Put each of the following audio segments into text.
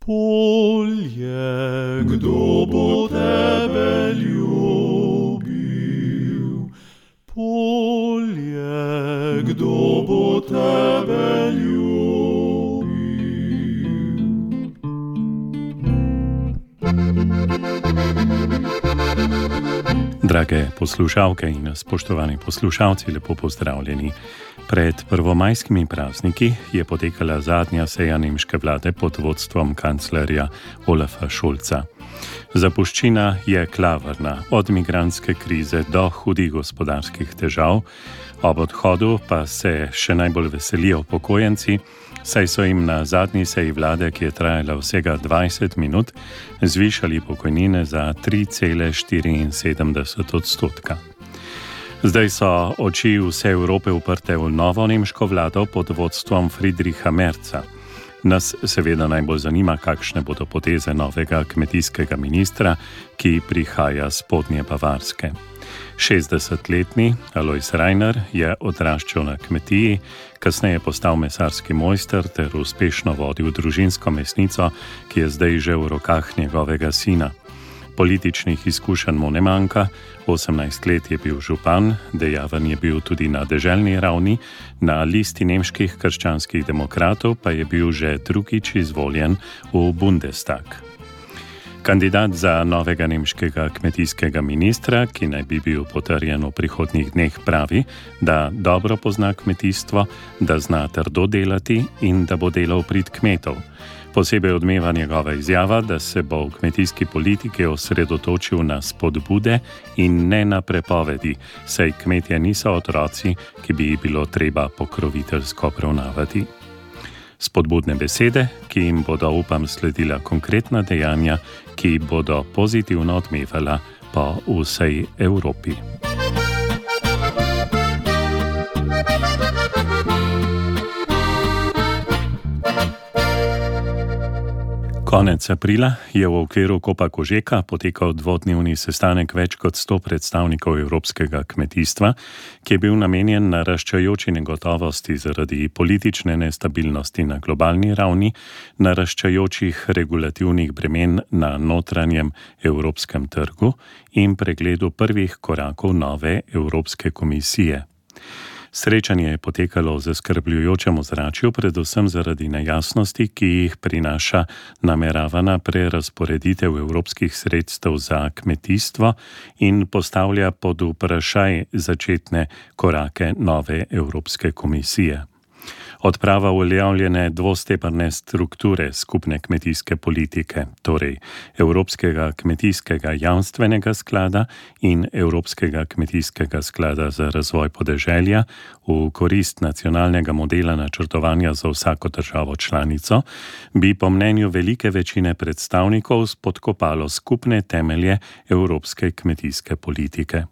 polje, kdo bo tebe ljubil? Polje, kdo bo tebe ljubil? Drage poslušalke in spoštovani poslušalci, lepo pozdravljeni. Pred prvomajskimi prazniki je potekala zadnja seja nemške vlade pod vodstvom kanclerja Olafa Scholza. Zapuščina je klavrna, od migrantske krize do hudih gospodarskih težav, ob odhodu pa se še najbolj veselijo upokojenci, saj so jim na zadnji seji vlade, ki je trajala vsega 20 minut, zvišali pokojnine za 3,74%. Zdaj so oči vse Evrope uprte v novo nemško vlado pod vodstvom Friedricha Merza. Nas seveda najbolj zanima, kakšne bodo poteze novega kmetijskega ministra, ki prihaja z spodnje Bavarske. 60-letni Alois Rainer je odraščal na kmetiji, kasneje postal mesarski mojster ter uspešno vodil družinsko mesnico, ki je zdaj že v rokah njegovega sina. Političnih izkušenj mu ne manjka, 18 let je bil župan, dejaven je bil tudi na deželni ravni, na listi nemških krščanskih demokratov pa je bil že drugič izvoljen v Bundestag. Kandidat za novega nemškega kmetijskega ministra, ki naj bi bil potrjen v prihodnjih dneh, pravi, da dobro pozna kmetijstvo, da zna trdo delati in da bo delal v prid kmetov. Posebej odmeva njegova izjava, da se bo v kmetijski politiki osredotočil na spodbude in ne na prepovedi, saj kmetje niso otroci, ki bi jih bilo treba pokroviteljsko obravnavati. Spodbudne besede, ki jim bodo, upam, sledila konkretna dejanja, ki bodo pozitivno odmevala po vsej Evropi. Konec aprila je v okviru Kopa Kožeka potekal dvodnevni sestanek več kot 100 predstavnikov evropskega kmetijstva, ki je bil namenjen naraščajoči negotovosti zaradi politične nestabilnosti na globalni ravni, naraščajočih regulativnih bremen na notranjem evropskem trgu in pregledu prvih korakov nove Evropske komisije. Srečanje je potekalo v zaskrbljujočem ozračju, predvsem zaradi nejasnosti, ki jih prinaša nameravana prerazporeditev evropskih sredstev za kmetijstvo in postavlja pod vprašaj začetne korake nove Evropske komisije. Odprava uveljavljene dvostebrne strukture skupne kmetijske politike, torej Evropskega kmetijskega jamstvenega sklada in Evropskega kmetijskega sklada za razvoj podeželja v korist nacionalnega modela načrtovanja za vsako državo članico, bi po mnenju velike večine predstavnikov spodkopalo skupne temelje evropske kmetijske politike.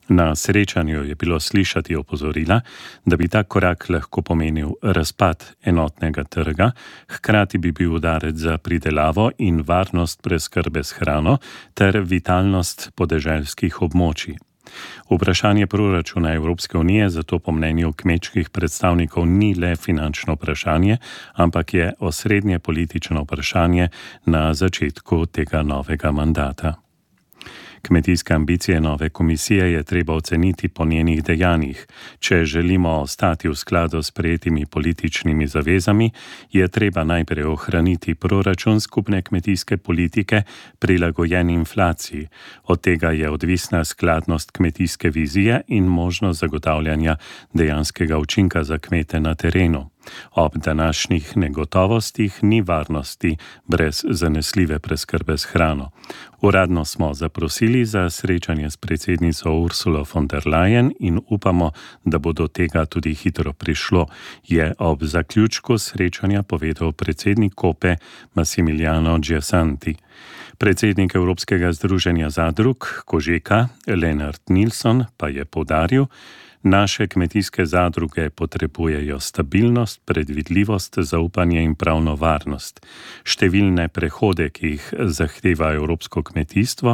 Na srečanju je bilo slišati opozorila, da bi ta korak lahko pomenil razpad enotnega trga, hkrati bi bil udarec za pridelavo in varnost preskrbe s hrano ter vitalnost podeželskih območij. Vprašanje proračuna Evropske unije zato po mnenju kmečkih predstavnikov ni le finančno vprašanje, ampak je osrednje politično vprašanje na začetku tega novega mandata. Kmetijske ambicije nove komisije je treba oceniti po njenih dejanjih. Če želimo ostati v skladu s sprejetimi političnimi zavezami, je treba najprej ohraniti proračun skupne kmetijske politike prilagojen inflaciji. Od tega je odvisna skladnost kmetijske vizije in možnost zagotavljanja dejanskega učinka za kmete na terenu. Ob današnjih negotovostih ni varnosti brez zanesljive preskrbe s hrano. Uradno smo zaprosili za srečanje s predsednico Ursulo von der Leyen in upamo, da bo do tega tudi hitro prišlo, je ob zaključku srečanja povedal predsednik Kope Massimiliano Giasanti. Predsednik Evropskega združenja zadrug Kožeka Lennart Nilsson pa je poudaril, Naše kmetijske zadruge potrebujejo stabilnost, predvidljivost, zaupanje in pravno varnost. Številne prehode, ki jih zahteva evropsko kmetijstvo,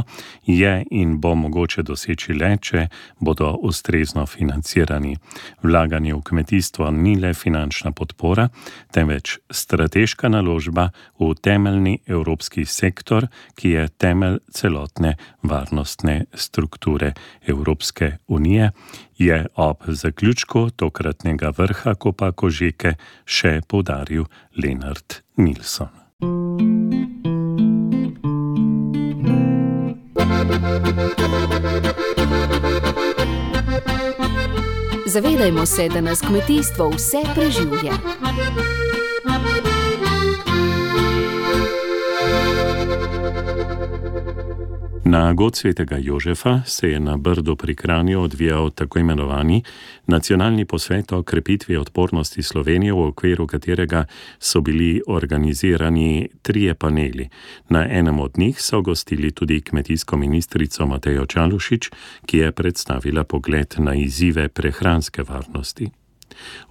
je in bo mogoče doseči le, če bodo ustrezno financirani. Vlaganje v kmetijstvo ni le finančna podpora, temveč strateška naložba v temeljni evropski sektor, ki je temelj celotne varnostne strukture Evropske unije, je ob zaključku tokratnega vrha Kopa Kožeke še poudaril Lenart Nilsson. Zavedajmo se, da nas kmetijstvo vse preživlja. Na god svetega Jožefa se je na Brdu pri Kranju odvijal tako imenovani nacionalni posvet o krepitvi odpornosti Slovenije, v okviru katerega so bili organizirani 3 paneli. Na enem od njih so gostili tudi kmetijsko ministrico Matejo Čalušić, ki je predstavila pogled na izzive prehranske varnosti.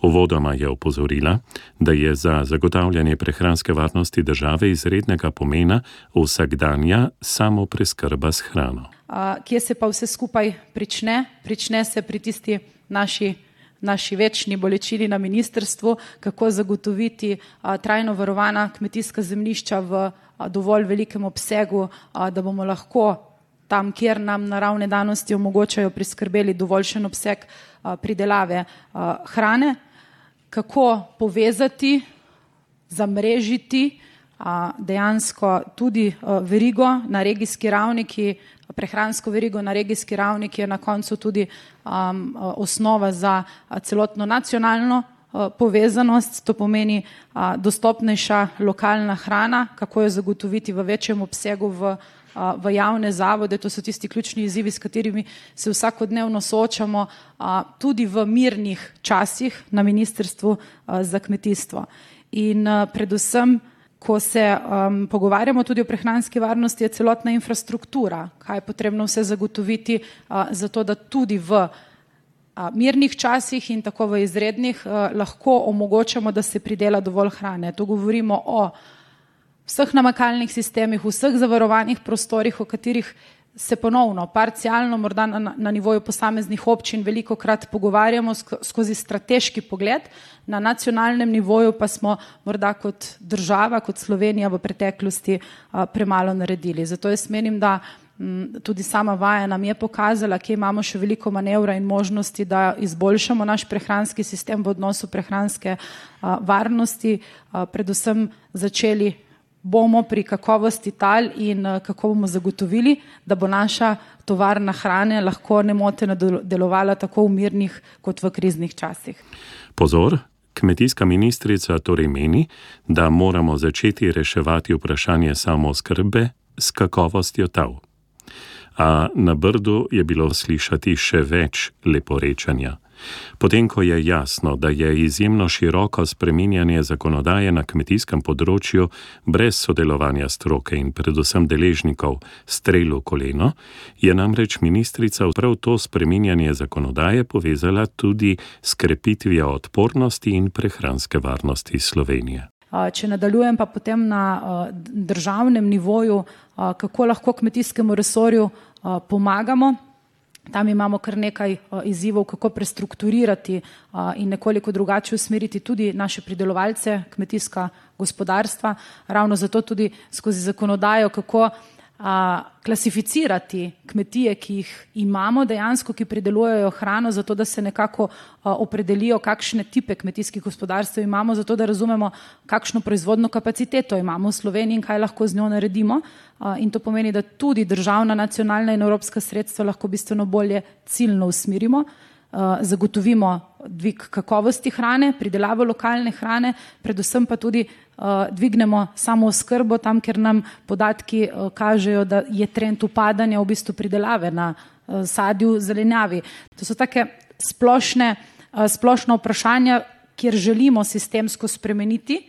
Uvodoma je opozorila, da je za zagotavljanje prehranske varnosti države izrednega pomena vsakdanja samopreskrba s hrano. Kje se pa vse skupaj prične? Prične se pri tisti naši večni bolečini na ministrstvu, kako zagotoviti trajno varovana kmetijska zemljišča v dovolj velikem obsegu, da bomo lahko tam, kjer nam naravne danosti omogočajo, priskrbeli dovoljšen obseg pridelave hrane, kako povezati, zamrežiti dejansko tudi verigo na regijski ravni, prehransko verigo na regijski ravni, ki je na koncu tudi osnova za celotno nacionalno povezanost, to pomeni dostopnejša lokalna hrana, kako jo zagotoviti v večjem obsegu v javne zavode. To so tisti ključni izzivi, s katerimi se vsakodnevno soočamo tudi v mirnih časih na Ministrstvu za kmetijstvo. In predvsem, ko se pogovarjamo tudi o prehranski varnosti, je celotna infrastruktura, kaj je potrebno vse zagotoviti za to, da tudi v mirnih časih in tako v izrednih lahko omogočamo, da se pridela dovolj hrane. To govorimo o vseh namakalnih sistemih, vseh zavarovanih prostorih, o katerih se ponovno, parcialno, morda na nivoju posameznih občin velikokrat pogovarjamo skozi strateški pogled, na nacionalnem nivoju pa smo morda kot država, kot Slovenija v preteklosti premalo naredili. Zato jaz menim, da tudi sama vaja nam je pokazala, kje imamo še veliko manevra in možnosti, da izboljšamo naš prehranski sistem v odnosu prehranske varnosti, predvsem začeli bomo pri kakovosti tal in kako bomo zagotovili, da bo naša tovarna hrane lahko nemoteno delovala tako v mirnih kot v kriznih časih. Pozor, kmetijska ministrica torej meni, da moramo začeti reševati vprašanje samooskrbe s kakovostjo tal. A na Brdu je bilo slišati še več leporečanja. Potem, ko je jasno, da je izjemno široko spreminjanje zakonodaje na kmetijskem področju brez sodelovanja stroke in predvsem deležnikov strel v koleno, je namreč ministrica prav to spreminjanje zakonodaje povezala tudi s krepitvijo odpornosti in prehranske varnosti Slovenije. Če nadaljujem pa potem na državnem nivoju, kako lahko kmetijskemu resorju pomagamo. Tam imamo kar nekaj izzivov, kako prestrukturirati in nekoliko drugače usmeriti tudi naše pridelovalce, kmetijska gospodarstva. Ravno zato tudi skozi zakonodajo, kako klasificirati kmetije, ki jih imamo dejansko, ki pridelujejo hrano, zato da se nekako opredelijo, kakšne tipe kmetijskih gospodarstev imamo, zato da razumemo, kakšno proizvodno kapaciteto imamo v Sloveniji in kaj lahko z njo naredimo. In to pomeni, da tudi državna, nacionalna in evropska sredstva lahko bistveno bolje ciljno usmerimo, zagotovimo dvig kakovosti hrane, pridelavo lokalne hrane, predvsem pa tudi dvignemo samooskrbo tam, ker nam podatki kažejo, da je trend upadanja v bistvu pridelave na sadju, zelenjavi. To so take splošna vprašanja, kjer želimo sistemsko spremeniti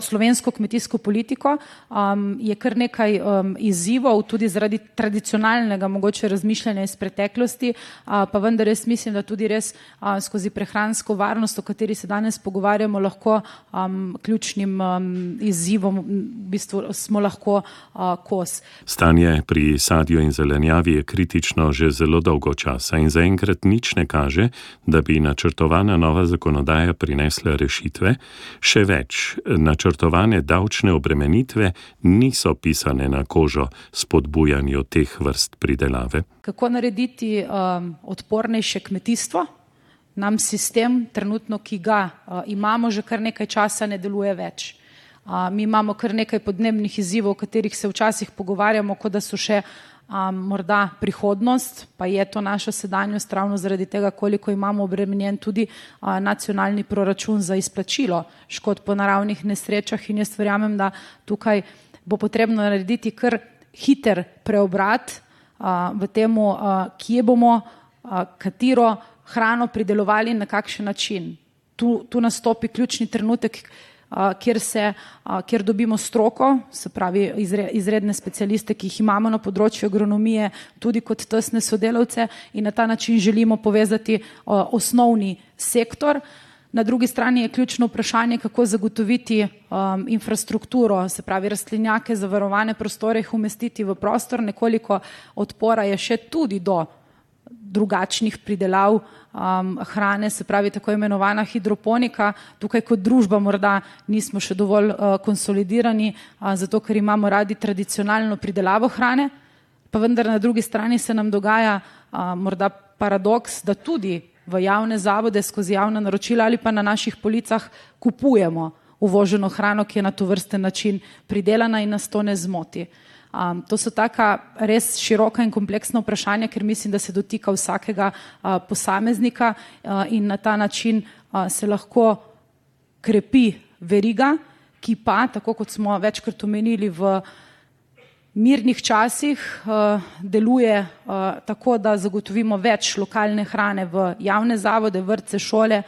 slovensko kmetijsko politiko, je kar nekaj izzivov, tudi zaradi tradicionalnega mogoče razmišljanja iz preteklosti, pa vendar jaz mislim, da tudi res skozi prehransko varnost, o kateri se danes pogovarjamo, lahko ključnim izzivom v bistvu smo lahko kos. Stanje pri sadju in zelenjavi je kritično že zelo dolgo časa in zaenkrat nič ne kaže, da bi načrtovana nova zakonodaja prinesla rešitve. Še več, načrtovane davčne obremenitve niso pisane na kožo spodbujanju teh vrst pridelave. Kako narediti odpornejše kmetijstvo? Nam sistem trenutno, ki ga imamo že kar nekaj časa, ne deluje več. Mi imamo kar nekaj podnebnih izzivov, o katerih se včasih pogovarjamo, kot da so še morda prihodnost, pa je to naša sedanjost ravno zaradi tega, koliko imamo obremenjen tudi nacionalni proračun za izplačilo škod po naravnih nesrečah in jaz verjamem, da tukaj bo potrebno narediti kar hiter preobrat v temu, kje bomo, katero hrano pridelovali in na kakšen način. Tu nastopi ključni trenutek, kjer dobimo stroko, se pravi izredne specialiste, ki jih imamo na področju agronomije, tudi kot tesne sodelavce in na ta način želimo povezati osnovni sektor. Na drugi strani je ključno vprašanje, kako zagotoviti infrastrukturo, se pravi rastlinjake, zavarovane prostore, jih umestiti v prostor. Nekoliko odpora je še tudi do drugačnih pridelav hrane, se pravi tako imenovana hidroponika. Tukaj kot družba morda nismo še dovolj konsolidirani, zato ker imamo radi tradicionalno pridelavo hrane, pa vendar na drugi strani se nam dogaja morda paradoks, da tudi v javne zavode skozi javna naročila ali pa na naših policah kupujemo uvoženo hrano, ki je na tovrsten način pridelana in nas to ne zmoti. To so taka res široka in kompleksna vprašanja, ker mislim, da se dotika vsakega posameznika in na ta način se lahko krepi veriga, ki pa, tako kot smo večkrat omenili, v mirnih časih deluje tako, da zagotovimo več lokalne hrane v javne zavode, vrtce, šole,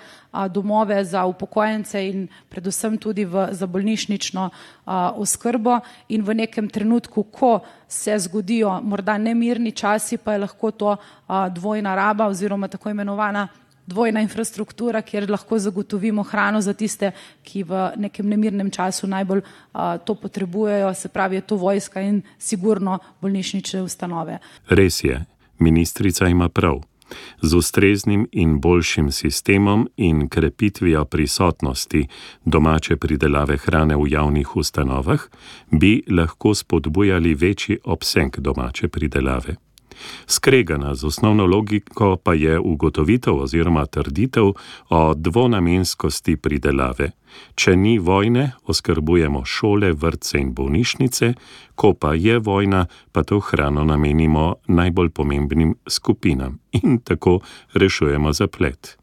domove za upokojence in predvsem tudi za bolnišnično oskrbo in v nekem trenutku, ko se zgodijo morda nemirni časi, pa je lahko to dvojna raba oziroma tako imenovana dvojna infrastruktura, kjer lahko zagotovimo hrano za tiste, ki v nekem nemirnem času najbolj to potrebujejo, se pravi je to vojska in sigurno bolnišnične ustanove. Res je, ministrica ima prav. Z ustreznim in boljšim sistemom in krepitvijo prisotnosti domače pridelave hrane v javnih ustanovah bi lahko spodbujali večji obseg domače pridelave. Skregana z osnovno logiko pa je ugotovitev oziroma trditev o dvonamenskosti pridelave. Če ni vojne, oskrbujemo šole, vrtce in bolnišnice, ko pa je vojna, pa to hrano namenimo najbolj pomembnim skupinam in tako rešujemo zaplet.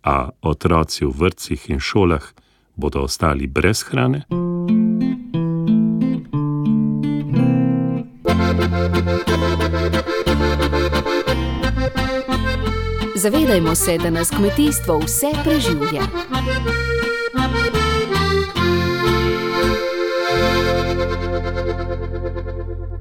A otroci v vrtcih in šolah bodo ostali brez hrane? Zavedajmo se, da nas kmetijstvo vse preživlja.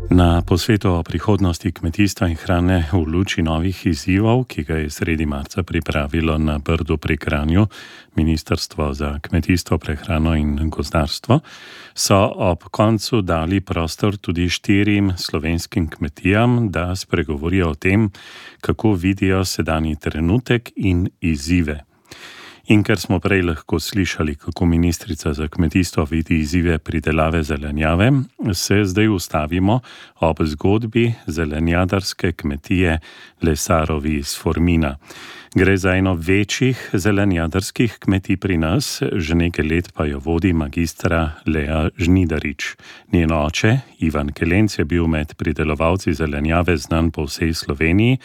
Na posvetu o prihodnosti kmetijstva in hrane v luči novih izzivov, ki ga je sredi marca pripravilo na Brdu pri Kranju Ministrstvo za kmetijstvo, prehrano in gozdarstvo, so ob koncu dali prostor tudi 4 slovenskim kmetijam, da spregovorijo o tem, kako vidijo sedanji trenutek in izzive. In ker smo prej lahko slišali, kako ministrica za kmetijstvo vidi izzive pridelave zelenjave, se zdaj ustavimo ob zgodbi zelenjadarske kmetije Lesarovi iz Formina. Gre za eno večjih zelenjadarskih kmetij pri nas, že nekaj let pa jo vodi magistra Lea Žnidarič. Njen oče, Ivan Kelenc, je bil med pridelovalci zelenjave znan po vsej Sloveniji.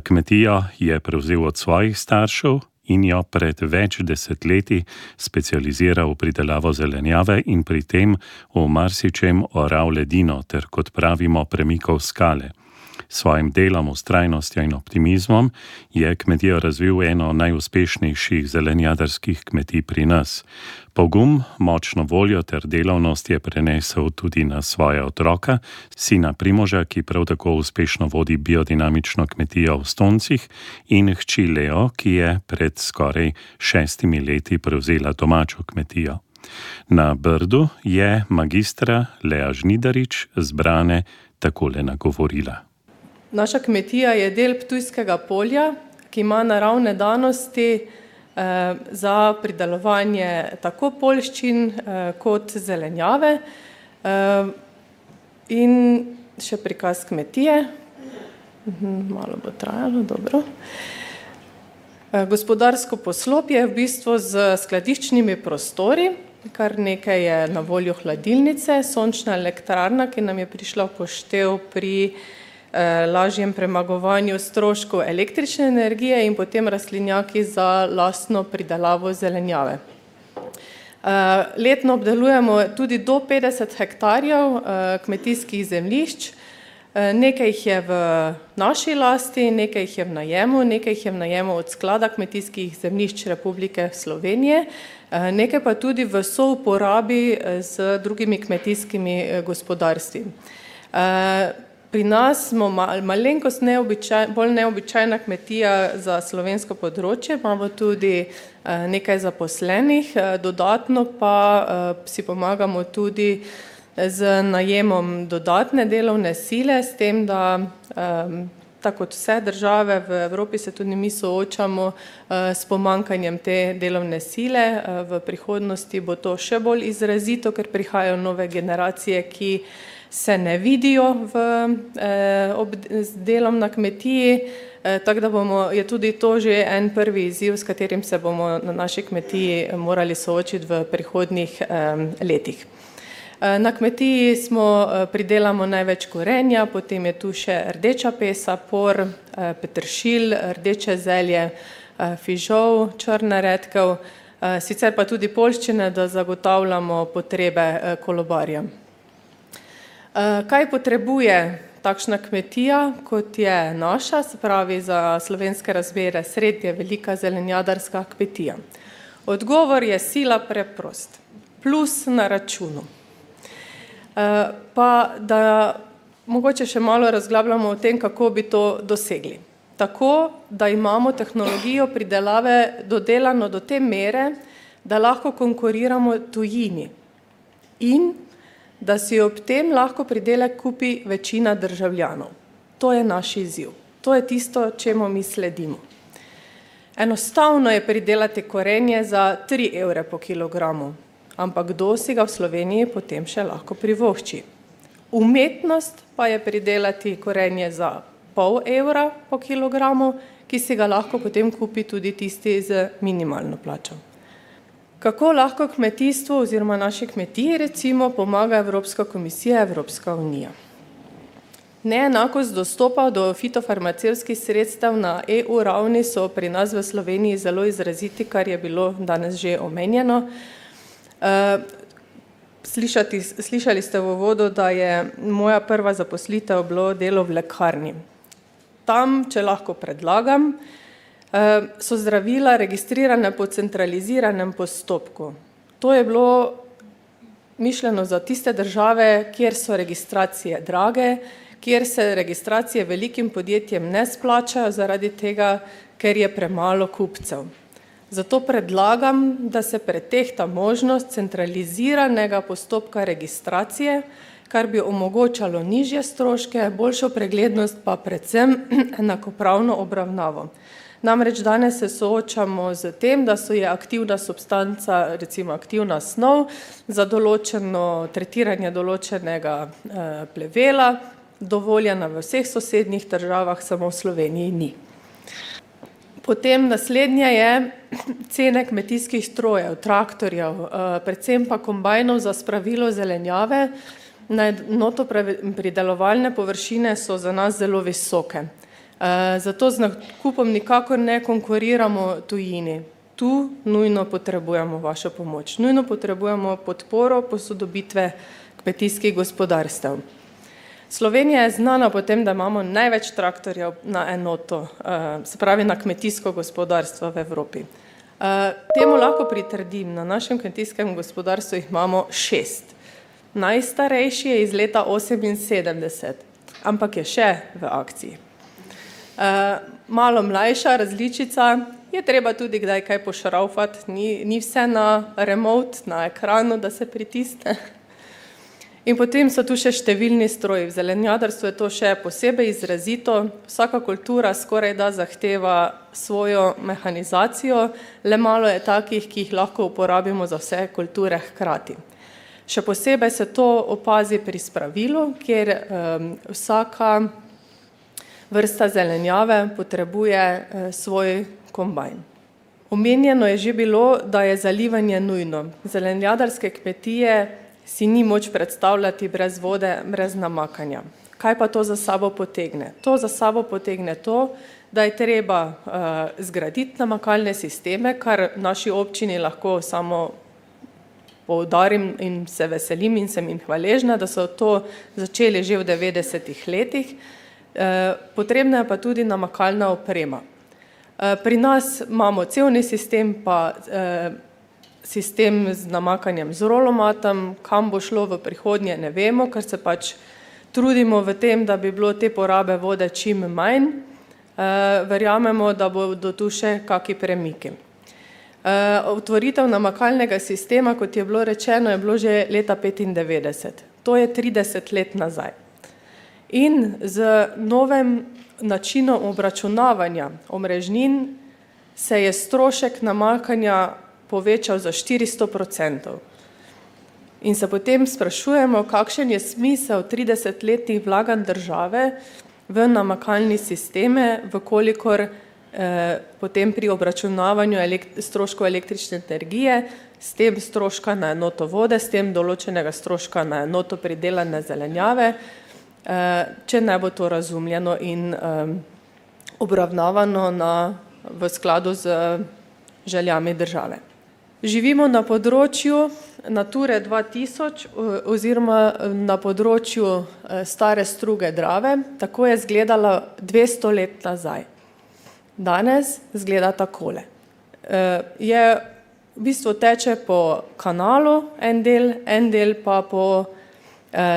Kmetijo je prevzel od svojih staršev in jo pred več desetletji specializiral v pridelavo zelenjave in pri tem v marsičem oral ledino ter, kot pravimo, premikal skale. S svojim delom, vztrajnostjo in optimizmom je kmetijo razvil eno najuspešnejših zelenjadarskih kmetij pri nas. Pogum, močno voljo ter delavnost je prenesel tudi na svoja otroka, sina Primoža, ki prav tako uspešno vodi biodinamično kmetijo v Stoncih, in hči Leo, ki je pred skoraj 6 leti prevzela domačo kmetijo. Na Brdu je magistra Lea Žnidarič zbrane takole nagovorila. Naša kmetija je del Ptujskega polja, ki ima naravne danosti za pridelovanje tako poljščin kot zelenjave. In še prikaz kmetije. Malo bo trajalo, dobro. Gospodarsko poslopje je v bistvu z skladiščnimi prostori, kar nekaj je na voljo hladilnice, sončna elektrarna, ki nam je prišla v poštev pri lažjem premagovanju stroškov električne energije in potem rastlinjaki za lastno pridelavo zelenjave. Letno obdelujemo tudi do 50 hektarjev kmetijskih zemljišč. Nekaj jih je v naši lasti, nekaj jih je v najemu, nekaj jih je v najemu od Sklada kmetijskih zemljišč Republike Slovenije, nekaj pa tudi v souporabi z drugimi kmetijskimi gospodarstvi. Pri nas smo malenkost bolj neobičajna kmetija za slovensko področje, imamo tudi nekaj zaposlenih, dodatno pa si pomagamo tudi z najemom dodatne delovne sile, s tem, da tako kot vse države v Evropi se tudi mi soočamo s pomanjkanjem te delovne sile. V prihodnosti bo to še bolj izrazito, ker prihajajo nove generacije, ki se ne vidijo z delom na kmetiji, tako da je tudi to že en prvi izziv, s katerim se bomo na naši kmetiji morali soočiti v prihodnjih letih. Na kmetiji pridelamo največ korenja, potem je tu še rdeča pesa, por, peteršilj, rdeče zelje, fižol, črna redkev, sicer pa tudi poljščine, da zagotavljamo potrebe kolobarja. Kaj potrebuje takšna kmetija, kot je naša, se pravi za slovenske razmere srednje velika zelenjadarska kmetija? Odgovor je sila preprost. Plus na računu. Pa da mogoče še malo razglabljamo o tem, kako bi to dosegli. Tako, da imamo tehnologijo pridelave dodelano do te mere, da lahko konkuriramo tujini in da si ob tem lahko pridelek kupi večina državljanov. To je naš izziv. To je tisto, čemu mi sledimo. Enostavno je pridelati korenje za 3 evre po kilogramu, ampak kdo si ga v Sloveniji potem še lahko privošči. Umetnost pa je pridelati korenje za pol evra po kilogramu, ki si ga lahko potem kupi tudi tisti z minimalno plačo. Kako lahko kmetijstvu oziroma naši kmetiji recimo pomaga Evropska komisija, Evropska unija? Neenakost dostopa do fitofarmacevtskih sredstev na EU ravni so pri nas v Sloveniji zelo izraziti, kar je bilo danes že omenjeno. Slišali ste v uvodu, da je moja prva zaposlitev bilo delo v lekarni. Tam, če lahko predlagam, so zdravila registrirane po centraliziranem postopku. To je bilo mišljeno za tiste države, kjer so registracije drage, kjer se registracije velikim podjetjem ne splačajo zaradi tega, ker je premalo kupcev. Zato predlagam, da se pretehta možnost centraliziranega postopka registracije, kar bi omogočalo nižje stroške, boljšo preglednost pa predvsem enakopravno obravnavo. Namreč danes se soočamo z tem, da je aktivna substanca, recimo aktivna snov, za določeno tretiranje določenega plevela, dovoljena v vseh sosednjih državah, samo v Sloveniji ni. Potem naslednje je cene kmetijskih strojev, traktorjev, predvsem pa kombajnov za spravilo zelenjave. Na enoto pridelovalne površine so za nas zelo visoke. Zato z nakupom nikakor ne konkuriramo tujini. Tu nujno potrebujemo vašo pomoč. Nujno potrebujemo podporo posodobitve kmetijskih gospodarstev. Slovenija je znana po tem, da imamo največ traktorjev na enoto, se pravi na kmetijsko gospodarstvo v Evropi. Temu lahko pritrdim, na našem kmetijskem gospodarstvu jih imamo 6. Najstarejši je iz leta 78, ampak je še v akciji. Malo mlajša različica, je treba tudi kdaj kaj pošraufati, ni vse na remote, na ekranu, da se pritisne. In potem so tu še številni stroji. V zelenjadarstvu je to še posebej izrazito. Vsaka kultura skoraj da zahteva svojo mehanizacijo, le malo je takih, ki jih lahko uporabimo za vse kulture hkrati. Še posebej se to opazi pri spravilu, kjer vsaka vrsta zelenjave potrebuje svoj kombajn. Omenjeno je že bilo, da je zalivanje nujno. Zelenjadarske kmetije si ni moč predstavljati brez vode, brez namakanja. Kaj pa to za sabo potegne? To za sabo potegne to, da je treba zgraditi namakalne sisteme, kar naši občini lahko samo poudarim in se veselim in sem jim hvaležna, da so to začeli že v 90-ih letih. Potrebna je pa tudi namakalna oprema. Pri nas imamo cevni sistem, pa sistem z namakanjem z rolomatom, kam bo šlo v prihodnje, ne vemo, ker se pač trudimo v tem, da bi bilo te porabe vode čim manj. Verjamemo, da bodo tu še kaki premiki. Otvoritev namakalnega sistema, kot je bilo rečeno, je bilo že leta 1995. To je 30 let nazaj. In z novim načinom obračunavanja omrežnin se je strošek namakanja povečal za 400%. In se potem sprašujemo, kakšen je smisel 30-letnih vlaganj države v namakalni sisteme, vkolikor potem pri obračunavanju stroškov električne energije, s tem stroška na enoto vode, s tem določenega stroška na enoto pridelane zelenjave, če ne bo to razumljeno in obravnavano v skladu z željami države. Živimo na področju Nature 2000 oziroma na področju stare struge Drave, tako je izgledala 200 let nazaj. Danes izgleda takole. V bistvu teče po kanalu en del pa po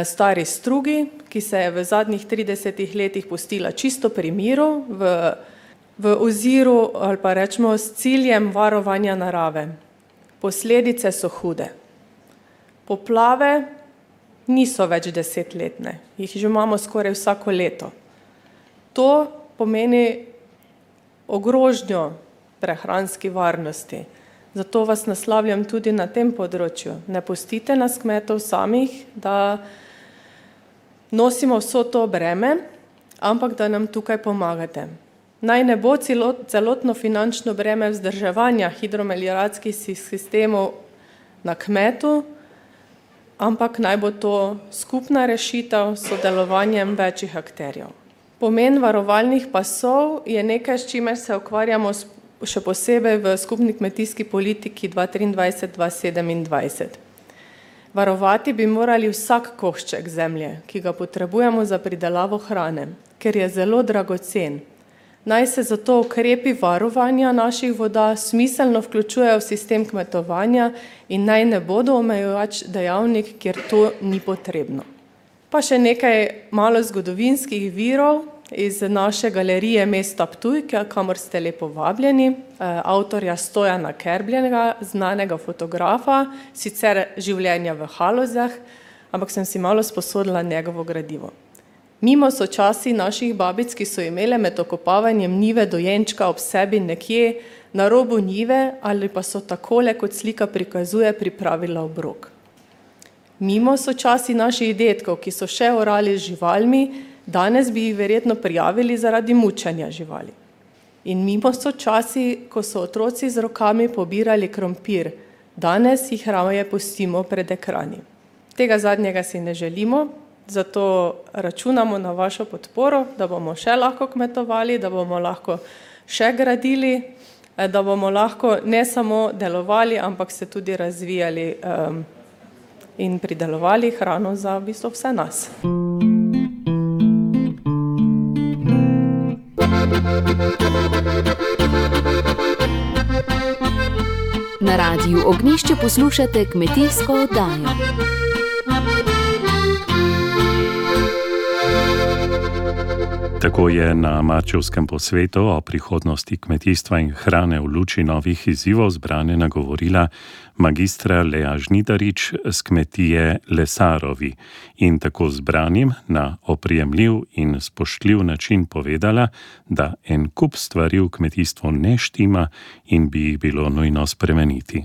stari strugi, ki se je v zadnjih 30 letih pustila čisto pri miru, v oziru ali pa rečemo s ciljem varovanja narave. Posledice so hude. Poplave niso več 10-letne, jih že imamo skoraj vsako leto. To pomeni ogrožnjo prehranski varnosti. Zato vas naslavljam tudi na tem področju. Ne pustite nas kmetov samih, da nosimo vso to breme, ampak da nam tukaj pomagate. Naj ne bo celotno finančno breme vzdrževanja hidromelioracijskih sistemov na kmetu, ampak naj bo to skupna rešitev s sodelovanjem večjih akterjev. Pomen varovalnih pasov je nekaj, s čimer se ukvarjamo še posebej v skupni kmetijski politiki 2023-2027. Varovati bi morali vsak košček zemlje, ki ga potrebujemo za pridelavo hrane, ker je zelo dragocen. Naj se zato ukrepi varovanja naših voda smiselno vključujejo v sistem kmetovanja in naj ne bodo omejujoč dejavnik, kjer to ni potrebno. Pa še nekaj malo zgodovinskih virov iz naše galerije mesta Ptuj, kamor ste lepo vabljeni, avtorja Stojana Kerbljenega, znanega fotografa, sicer življenja v Halozah, ampak sem si malo sposodila njegovo gradivo. Mimo so časi naših babic, ki so imele med okopavanjem njive dojenčka ob sebi nekje na robu njive ali pa so takole, kot slika prikazuje, pripravila obrok. Mimo so časi naših dedkov, ki so še orali z živalmi, danes bi jih verjetno prijavili zaradi mučenja živali. In mimo so časi, ko so otroci z rokami pobirali krompir, danes jih raje pustimo pred ekrani. Tega zadnjega si ne želimo, zato računamo na vašo podporo, da bomo še lahko kmetovali, da bomo lahko še gradili, da bomo lahko ne samo delovali, ampak se tudi razvijali in pridelovali hrano za v bistvu vse nas. Na Radiu Ognjišče poslušate kmetijsko oddajo. Tako je na marčevskem posvetu o prihodnosti kmetijstva in hrane v luči novih izzivov zbrane nagovorila magistra Lea Žnidarič z kmetije Lesarovi in tako zbranim na oprijemljiv in spoštljiv način povedala, da en kup stvari v kmetijstvu ne štima in bi jih bilo nujno spremeniti.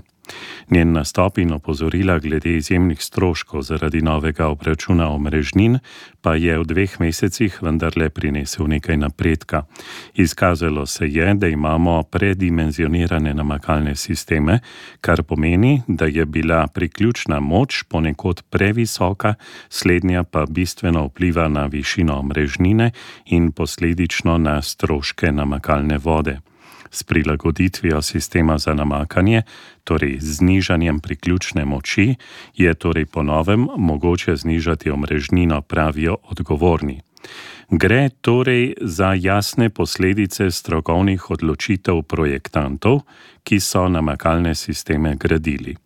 Njen nastop in opozorila glede izjemnih stroškov zaradi novega obračuna omrežnin pa je v 2 mesecih vendarle prinesel nekaj napredka. Izkazalo se je, da imamo predimenzionirane namakalne sisteme, kar pomeni, da je bila priključna moč ponekod previsoka, slednja pa bistveno vpliva na višino omrežnine in posledično na stroške namakalne vode. S prilagoditvijo sistema za namakanje, torej znižanjem priključne moči, je torej po novem mogoče znižati omrežnino, pravijo odgovorni. Gre torej za jasne posledice strokovnih odločitev projektantov, ki so namakalne sisteme gradili.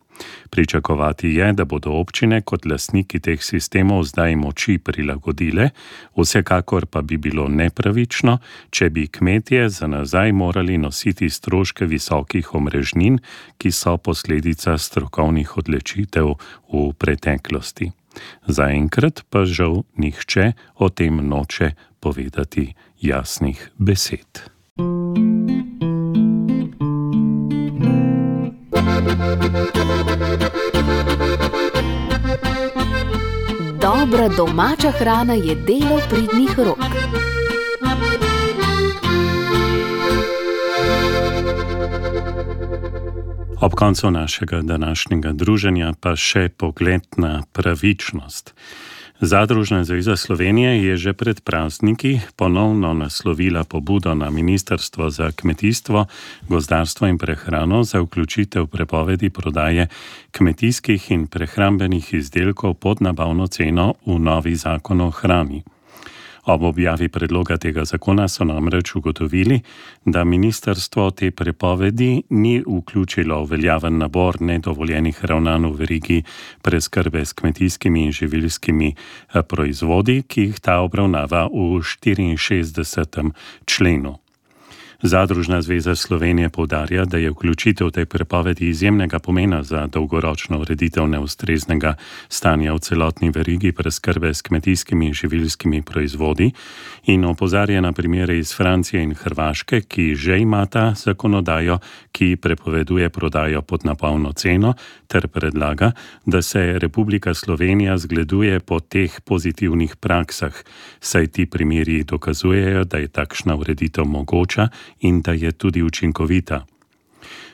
Pričakovati je, da bodo občine kot lastniki teh sistemov zdaj moči prilagodile, vsekakor pa bi bilo nepravično, če bi kmetje za nazaj morali nositi stroške visokih omrežnin, ki so posledica strokovnih odločitev v preteklosti. Zaenkrat pa žal nihče o tem noče povedati jasnih besed. Dobra domača hrana je delo pridnih rok. Ob koncu našega današnjega druženja pa še pogled na pravičnost. Zadružna zveza Slovenije je že pred prazniki ponovno naslovila pobudo na Ministrstvo za kmetijstvo, gozdarstvo in prehrano za vključitev prepovedi prodaje kmetijskih in prehrambenih izdelkov pod nabavno ceno v novi zakon o hrani. Ob objavi predloga tega zakona so namreč ugotovili, da ministrstvo te prepovedi ni vključilo v veljaven nabor nedovoljenih ravnanj v verigi preskrbe s kmetijskimi in živilskimi proizvodi, ki jih ta obravnava v 64. členu. Zadružna zveza Slovenije poudarja, da je vključitev tej prepovedi izjemnega pomena za dolgoročno ureditev neustreznega stanja v celotni verigi preskrbe s kmetijskimi in živilskimi proizvodi in opozarja na primere iz Francije in Hrvaške, ki že imata zakonodajo, ki prepoveduje prodajo pod nabavno ceno, ter predlaga, da se Republika Slovenija zgleduje po teh pozitivnih praksah, saj ti primeri dokazujejo, da je takšna ureditev mogoča in da je tudi učinkovita.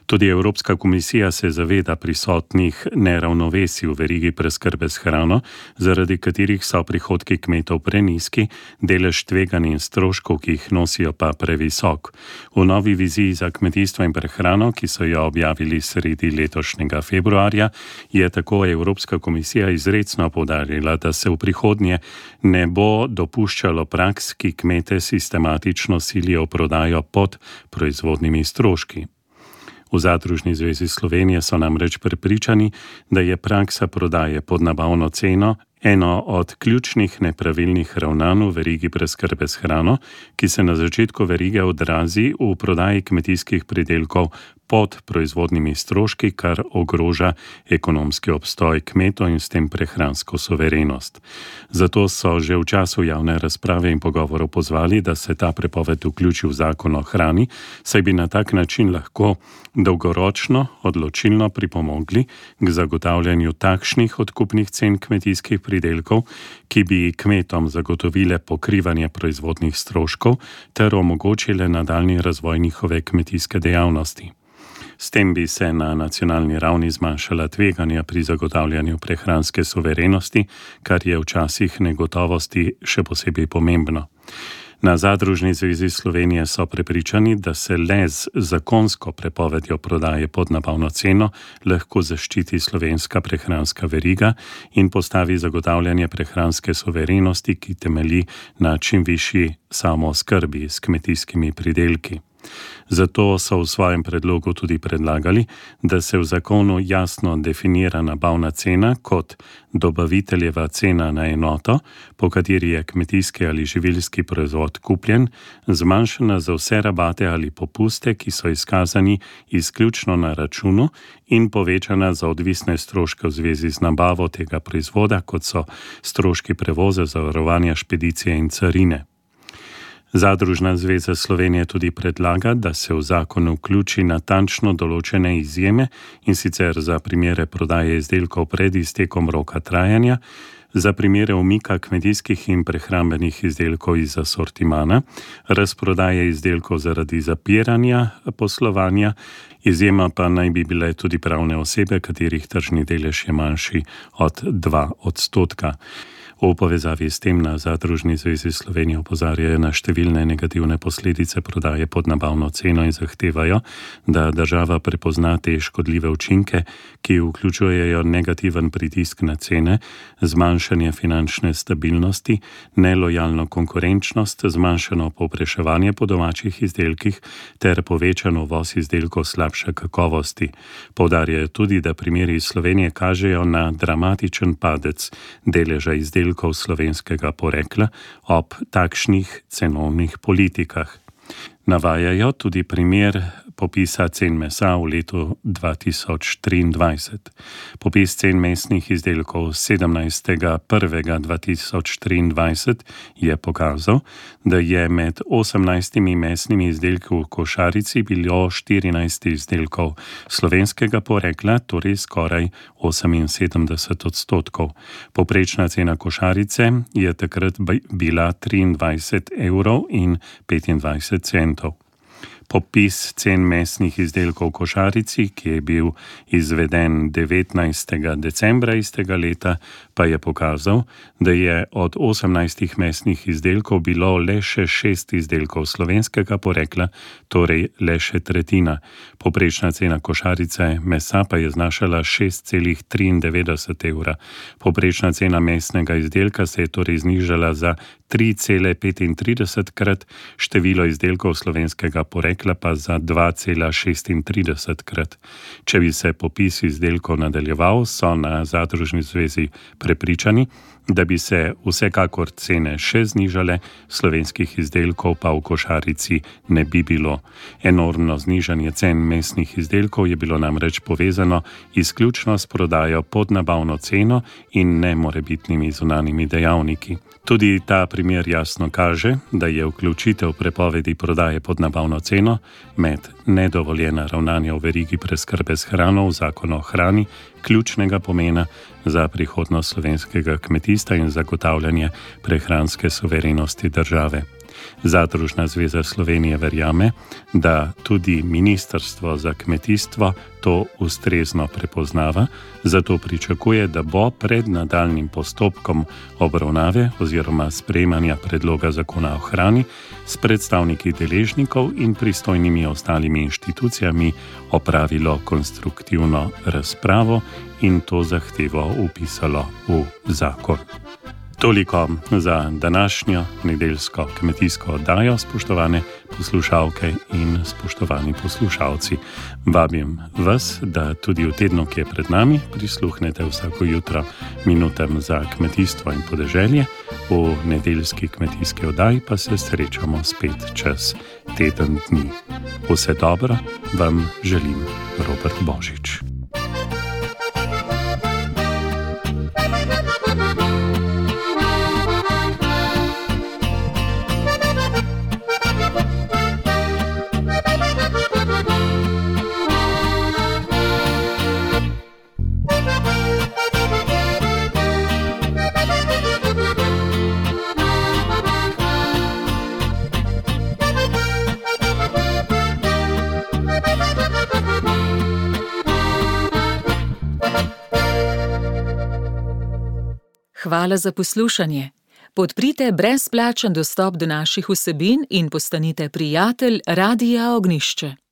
Tudi Evropska komisija se zaveda prisotnih neravnovesij v verigi preskrbe s hrano, zaradi katerih so prihodki kmetov prenizki, delež tveganj in stroškov, ki jih nosijo, pa previsok. V novi viziji za kmetijstvo in prehrano, ki so jo objavili sredi letošnjega februarja, je tako Evropska komisija izrecno poudarila, da se v prihodnje ne bo dopuščalo praks, ki kmete sistematično silijo v prodajo pod proizvodnimi stroški. V Zadružni zvezi Slovenije so namreč prepričani, da je praksa prodaje pod nabavno ceno eno od ključnih nepravilnih ravnanj v verigi preskrbe s hrano, ki se na začetku verige odrazi v prodaji kmetijskih pridelkov pod proizvodnimi stroški, kar ogroža ekonomski obstoj kmetov in s tem prehransko suverenost. Zato so že v času javne razprave in pogovorov pozvali, da se ta prepoved vključi v zakon o hrani, saj bi na tak način lahko dolgoročno odločilno pripomogli k zagotavljanju takšnih odkupnih cen kmetijskih pridelkov, ki bi kmetom zagotovile pokrivanje proizvodnih stroškov ter omogočile nadaljnji razvoj njihove kmetijske dejavnosti. S tem bi se na nacionalni ravni zmanjšala tveganja pri zagotavljanju prehranske suverenosti, kar je v časih negotovosti še posebej pomembno. Na Zadružni zvezi Slovenije so prepričani, da se le z zakonsko prepovedjo prodaje pod nabavno ceno lahko zaščiti slovenska prehranska veriga in postavi zagotavljanje prehranske suverenosti, ki temelji na čim višji samooskrbi s kmetijskimi pridelki. Zato so v svojem predlogu tudi predlagali, da se v zakonu jasno definira nabavna cena kot dobaviteljeva cena na enoto, po kateri je kmetijski ali živilski proizvod kupljen, zmanjšana za vse rabate ali popuste, ki so izkazani izključno na računu, in povečana za odvisne stroške v zvezi z nabavo tega proizvoda, kot so stroški prevoza, zavarovanja, špedicije in carine. Zadružna zveza Slovenije tudi predlaga, da se v zakon vključi natančno določene izjeme, in sicer za primere prodaje izdelkov pred iztekom roka trajanja, za primere umika kmetijskih in prehrambenih izdelkov iz asortimana, razprodaje izdelkov zaradi zapiranja poslovanja, izjema pa naj bi bile tudi pravne osebe, katerih tržni delež je manjši od 2%. V povezavi s tem na Zadružni zvezi Slovenije opozarjajo na številne negativne posledice prodaje pod nabavno ceno in zahtevajo, da država prepozna te škodljive učinke, ki vključujejo negativen pritisk na cene, zmanjšanje finančne stabilnosti, nelojalno konkurenčnost, zmanjšano povpraševanje po domačih izdelkih ter povečan uvoz izdelkov slabše kakovosti. Poudarjajo tudi, da primeri iz Slovenije kažejo na dramatičen padec deleža izdelkov slovenskega porekla ob takšnih cenovnih politikah. Navajajo tudi primer popisa cen mesa v letu 2023. Popis cen mesnih izdelkov 17.1.2023 je pokazal, da je med 18 mesnimi izdelki v košarici bilo 14 izdelkov slovenskega porekla, torej skoraj 78%. Povprečna cena košarice je takrat bila 23,25 €. Popis cen mesnih izdelkov v košarici, ki je bil izveden 19. decembra istega leta, pa je pokazal, da je od 18 mesnih izdelkov bilo le še 6 izdelkov slovenskega porekla, torej le še tretjina. Povprečna cena košarice mesa pa je znašala 6,93 €. Povprečna cena mesnega izdelka se je torej znižala za 3,35-krat, število izdelkov slovenskega porekla pa za 2,36-krat. Če bi se popis izdelkov nadaljeval, so na Zadružni zvezi prepričani, da bi se vsekakor cene še znižale, slovenskih izdelkov pa v košarici ne bi bilo. Enormno znižanje cen mesnih izdelkov je bilo namreč povezano izključno s prodajo pod nabavno ceno in ne morebitnimi zunanjimi dejavniki. Tudi ta primer jasno kaže, da je vključitev prepovedi prodaje pod nabavno ceno med nedovoljena ravnanja v verigi preskrbe s hrano v Zakon o hrani ključnega pomena za prihodnost slovenskega kmetijstva in zagotavljanje prehranske suverenosti države. Zadružna zveza Slovenije verjame, da tudi Ministrstvo za kmetijstvo to ustrezno prepoznava, zato pričakuje, da bo pred nadaljnjim postopkom obravnave oziroma sprejemanja predloga zakona o hrani s predstavniki deležnikov in pristojnimi ostalimi inštitucijami opravilo konstruktivno razpravo in to zahtevo vpisalo v zakon. Toliko za današnjo nedeljsko kmetijsko oddajo, spoštovane poslušalke in spoštovani poslušalci. Vabim vas, da tudi v tednu, ki je pred nami, prisluhnete vsako jutro minutam za kmetijstvo in podeželje. V nedeljski kmetijski oddaji pa se srečamo spet čez teden dni. Vse dobro vam želim Robert Božič. Hvala za poslušanje. Podprite brezplačen dostop do naših vsebin in postanite prijatelj Radia Ognjišče.